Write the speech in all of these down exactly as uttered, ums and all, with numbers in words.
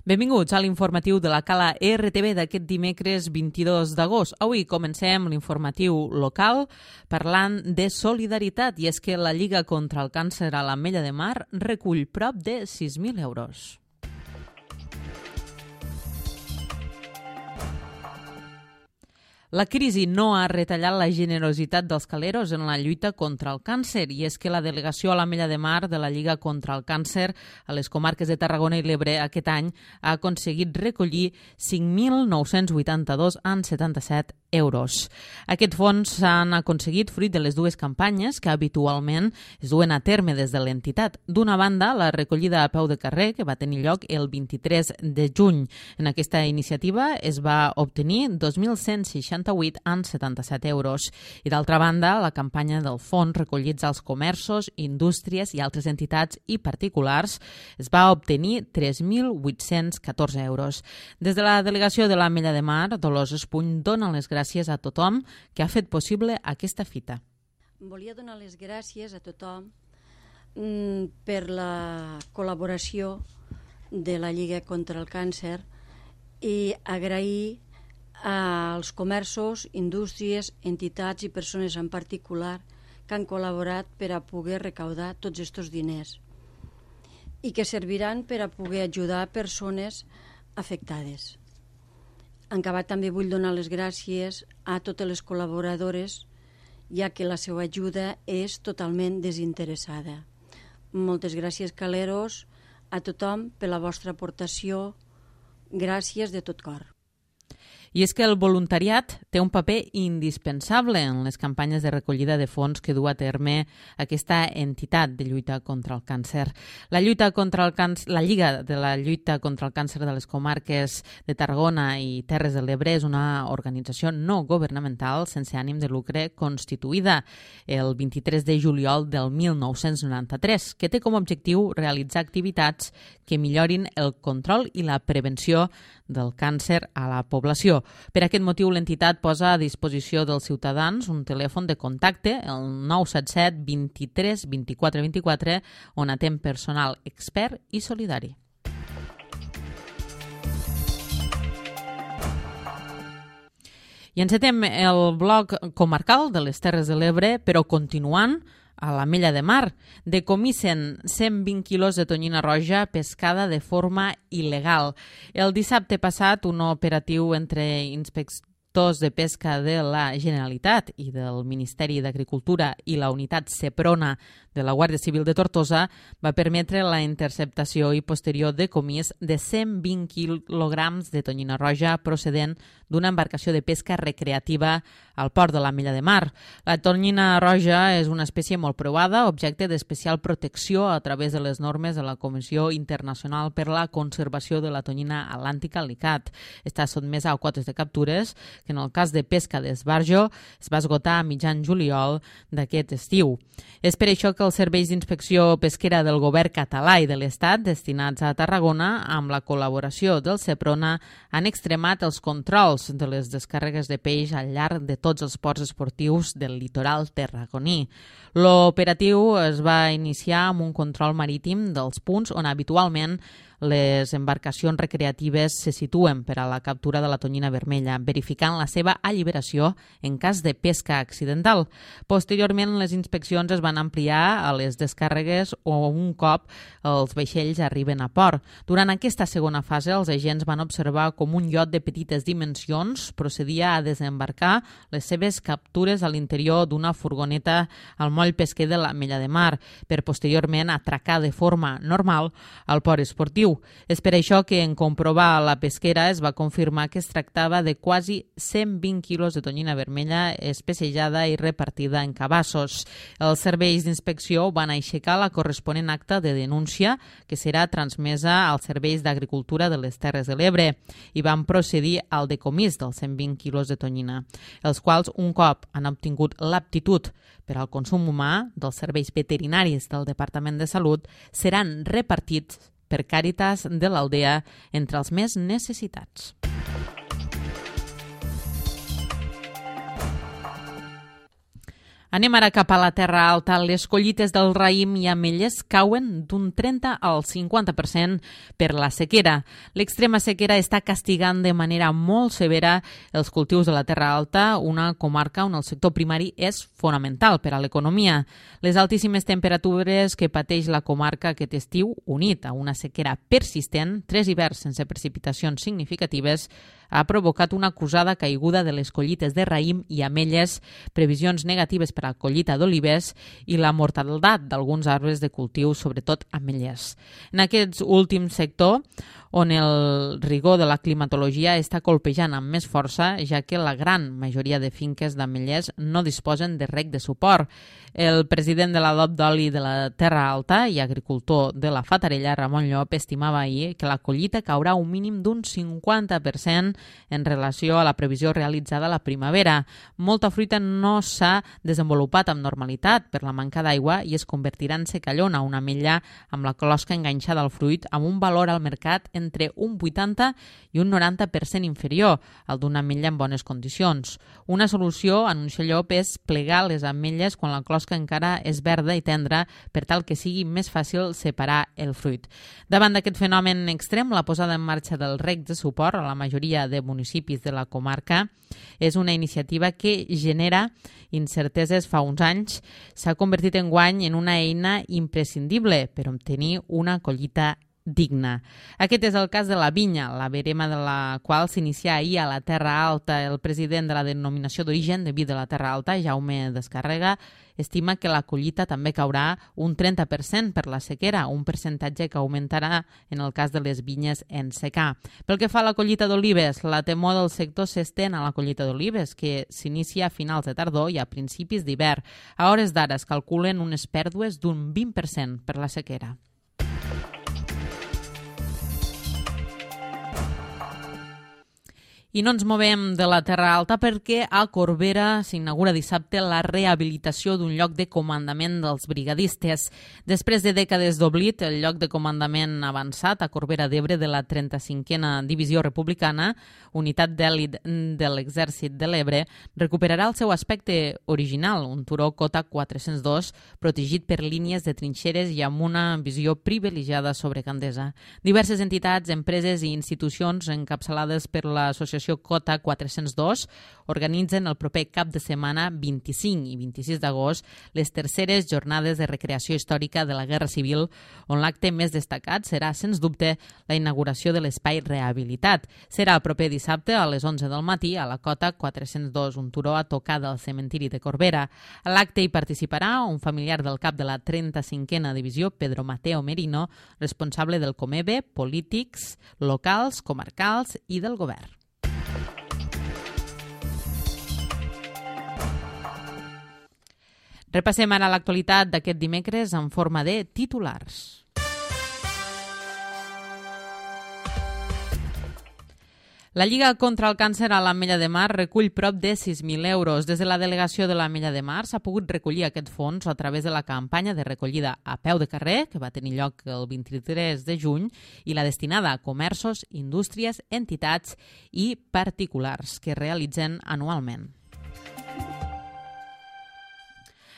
Benvinguts a l'informatiu de la Cala R T V d'aquest dimecres vint-i-dos d'agost. Avui comencem l'informatiu local parlant de solidaritat, i és que la Lliga contra el Càncer a l'Ametlla de Mar recull prop de sis mil euros. La crisi no ha retallat la generositat dels caleros en la lluita contra el càncer, i és que la delegació a l'Ametlla de Mar de la Lliga contra el Càncer a les comarques de Tarragona i l'Ebre aquest any ha aconseguit recollir cinc mil nou-cents vuitanta-dos coma setanta-set euros. Aquests fons s'han aconseguit fruit de les dues campanyes que habitualment es duen a terme des de l'entitat. D'una banda, la recollida a peu de carrer, que va tenir lloc el vint-i-tres de juny. En aquesta iniciativa es va obtenir dos mil cent seixanta-vuit coma setanta-set euros. I d'altra banda, la campanya del fons recollits als comerços, indústries i altres entitats i particulars es va obtenir tres mil vuit-cents catorze euros. Des de la delegació de l'Ametlla de Mar, Dolors Espuny dona les gràcies a tothom que ha fet possible aquesta fita. Volia donar les gràcies a tothom mm, per la col·laboració de la Lliga contra el Càncer i agrair als comerços, indústries, entitats i persones en particular que han col·laborat per a poder recaudar tots aquests diners i que serviran per a poder ajudar persones afectades. En acabat, també vull donar les gràcies a totes les col·laboradores, ja que la seva ajuda és totalment desinteressada. Moltes gràcies, caleros, a tothom per la vostra aportació. Gràcies de tot cor. I és que el voluntariat té un paper indispensable en les campanyes de recollida de fons que du a terme aquesta entitat de lluita contra el càncer. La lluita contra el càncer, la Lliga de la lluita contra el càncer de les comarques de Tarragona i Terres de l'Ebre és una organització no governamental sense ànim de lucre constituïda el vint-i-tres de juliol del mil nou-cents noranta-tres, que té com a objectiu realitzar activitats que millorin el control i la prevenció del càncer a la població. Per aquest motiu, l'entitat posa a disposició dels ciutadans un telèfon de contacte, el nou set set vint-i-tres vint-i-quatre vint-i-quatre, on atén personal expert i solidari. I encetem el bloc comarcal de les Terres de l'Ebre, però continuant a l'Ametlla de Mar. Decomissen cent vint quilos de tonyina roja pescada de forma il·legal. El dissabte passat, un operatiu entre inspectors de pesca de la Generalitat i del Ministeri d'Agricultura i la unitat Seprona de la Guàrdia Civil de Tortosa va permetre la interceptació i posterior decomís de cent vint quilograms de tonyina roja procedent d'una embarcació de pesca recreativa al port de l'Ametlla de Mar. La tonyina roja és una espècie molt provada, objecte d'especial protecció a través de les normes de la Comissió Internacional per la Conservació de la Tonyina Atlàntica, l'ICAT. Està sotmesa a quotes de captures que en el cas de pesca d'esbarjo es va esgotar a mitjan juliol d'aquest estiu. És per això que els serveis d'inspecció pesquera del govern català i de l'Estat destinats a Tarragona, amb la col·laboració del Seprona, han extremat els controls de les descàrregues de peix al llarg de tots els ports esportius del litoral tarragoní. L'operatiu es va iniciar amb un control marítim dels punts on habitualment les embarcacions recreatives se situen per a la captura de la tonyina vermella, verificant la seva alliberació en cas de pesca accidental. Posteriorment, les inspeccions es van ampliar a les descàrregues o un cop els vaixells arriben a port. Durant aquesta segona fase, els agents van observar com un iot de petites dimensions procedia a desembarcar les seves captures a l'interior d'una furgoneta al moll pesquer de l'Ametlla de Mar, per posteriorment atracar de forma normal al port esportiu. És per això que en comprovar la pesquera es va confirmar que es tractava de quasi cent vint quilos de tonyina vermella especejada i repartida en cabassos. Els serveis d'inspecció van aixecar la corresponent acta de denúncia que serà transmesa als serveis d'agricultura de les Terres de l'Ebre i van procedir al decomís dels cent vint quilos de tonyina, els quals un cop han obtingut l'aptitud per al consum humà dels serveis veterinaris del Departament de Salut seran repartits per Càritas de l'Aldea entre els més necessitats. Anem ara cap a la Terra Alta. Les collites del raïm i ametlles cauen d'un trenta al cinquanta per cent per la sequera. L'extrema sequera està castigant de manera molt severa els cultius de la Terra Alta, una comarca on el sector primari és fonamental per a l'economia. Les altíssimes temperatures que pateix la comarca aquest estiu, unit a una sequera persistent, tres hiverns sense precipitacions significatives, ha provocat una acusada caiguda de les collites de raïm i ametlles, previsions negatives per a la collita d'olives i la mortalitat d'alguns arbres de cultiu, sobretot ametlles. En aquest últim sector, on el rigor de la climatologia està colpejant amb més força, ja que la gran majoria de finques d'ametllers no disposen de reg de suport. El president de l'Adop d'Oli de la Terra Alta i agricultor de la Fatarella, Ramon Llop, estimava ahir que la collita caurà un mínim d'un cinquanta per cent en relació a la previsió realitzada a la primavera. Molta fruita no s'ha desenvolupat amb normalitat per la manca d'aigua i es convertirà en secallona, una ametlla amb la closca enganxada al fruit amb un valor al mercat entre un vuitanta i un noranta per cent inferior al d'una ametlla en bones condicions. Una solució, anuncia Llop, és plegar les ametlles quan la closca encara és verda i tendra per tal que sigui més fàcil separar el fruit. Davant d'aquest fenomen extrem, la posada en marxa del reg de suport a la majoria de municipis de la comarca és una iniciativa que genera incerteses fa uns anys. S'ha convertit en guany en una eina imprescindible per obtenir una collita digna. Aquest és el cas de la vinya, la verema de la qual s'inicia ahir a la Terra Alta. El president de la denominació d'origen de vi de la Terra Alta, Jaume Descarrega, estima que la collita també caurà un trenta per cent per la sequera, un percentatge que augmentarà en el cas de les vinyes en secà. Pel que fa a la collita d'olives, la temor del sector s'estén a la collita d'olives, que s'inicia a finals de tardor i a principis d'hivern. A hores d'ara es calculen unes pèrdues d'un vint per cent per la sequera. I no ens movem de la Terra Alta perquè a Corbera s'inaugura dissabte la rehabilitació d'un lloc de comandament dels brigadistes. Després de dècades d'oblit, el lloc de comandament avançat a Corbera d'Ebre de la trenta-cinquena Divisió Republicana, unitat d'èlit de l'Exèrcit de l'Ebre, recuperarà el seu aspecte original, un turó cota quatre-cents dos, protegit per línies de trinxeres i amb una visió privilegiada sobre Gandesa. Diverses entitats, empreses i institucions encapçalades per l'associació Cota quatre-cents dos organitzen el proper cap de setmana vint-i-cinc i vint-i-sis d'agost les terceres jornades de recreació històrica de la Guerra Civil, on l'acte més destacat serà, sens dubte, la inauguració de l'espai rehabilitat. Serà el proper dissabte a les onze del matí a la Cota quatre-cents dos, un turó a tocar del cementiri de Corbera. A l'acte hi participarà un familiar del cap de la trenta-cinquena Divisió, Pedro Mateo Merino, responsable del Comebe, polítics locals, comarcals i del govern. Repassem ara l'actualitat d'aquest dimecres en forma de titulars. La Lliga contra el Càncer a l'Ametlla de Mar recull prop de sis mil euros. Des de la delegació de l'Ametlla de Mar s'ha pogut recollir aquest fons a través de la campanya de recollida a peu de carrer, que va tenir lloc el vint-i-tres de juny, i la destinada a comerços, indústries, entitats i particulars que realitzen anualment.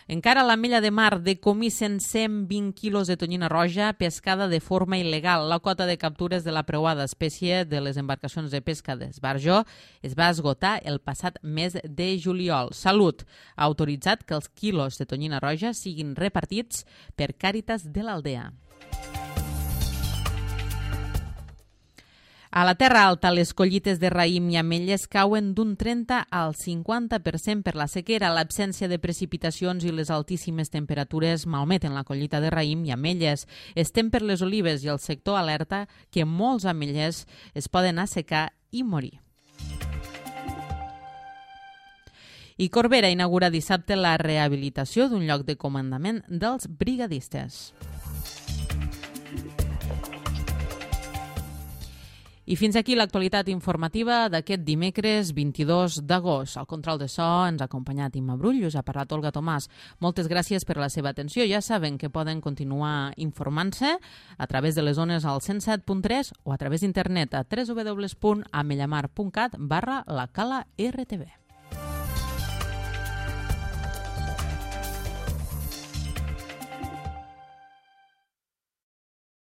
Encara a l'Ametlla de Mar decomissen cent vint quilos de tonyina roja pescada de forma il·legal. La quota de captures de la preuada espècie de les embarcacions de pesca d'esbarjo es va esgotar el passat mes de juliol. Salut ha autoritzat que els quilos de tonyina roja siguin repartits per Càritas de l'Aldea. A la Terra Alta, les collites de raïm i ametlles cauen d'un trenta al cinquanta per cent per la sequera. L'absència de precipitacions i les altíssimes temperatures malmeten la collita de raïm i ametlles. Estem per les olives i el sector alerta que molts ametllers es poden assecar i morir. I Corbera inaugura dissabte la rehabilitació d'un lloc de comandament dels brigadistes. I fins aquí l'actualitat informativa d'aquest dimecres vint-i-dos d'agost. Al control de so ens ha acompanyat Imma Brull, us ha parlat Olga Tomàs. Moltes gràcies per la seva atenció. Ja saben que poden continuar informant-se a través de les ones al cent set punt tres o a través d'internet a w w w punt amellamar punt cat barra la cala R T V.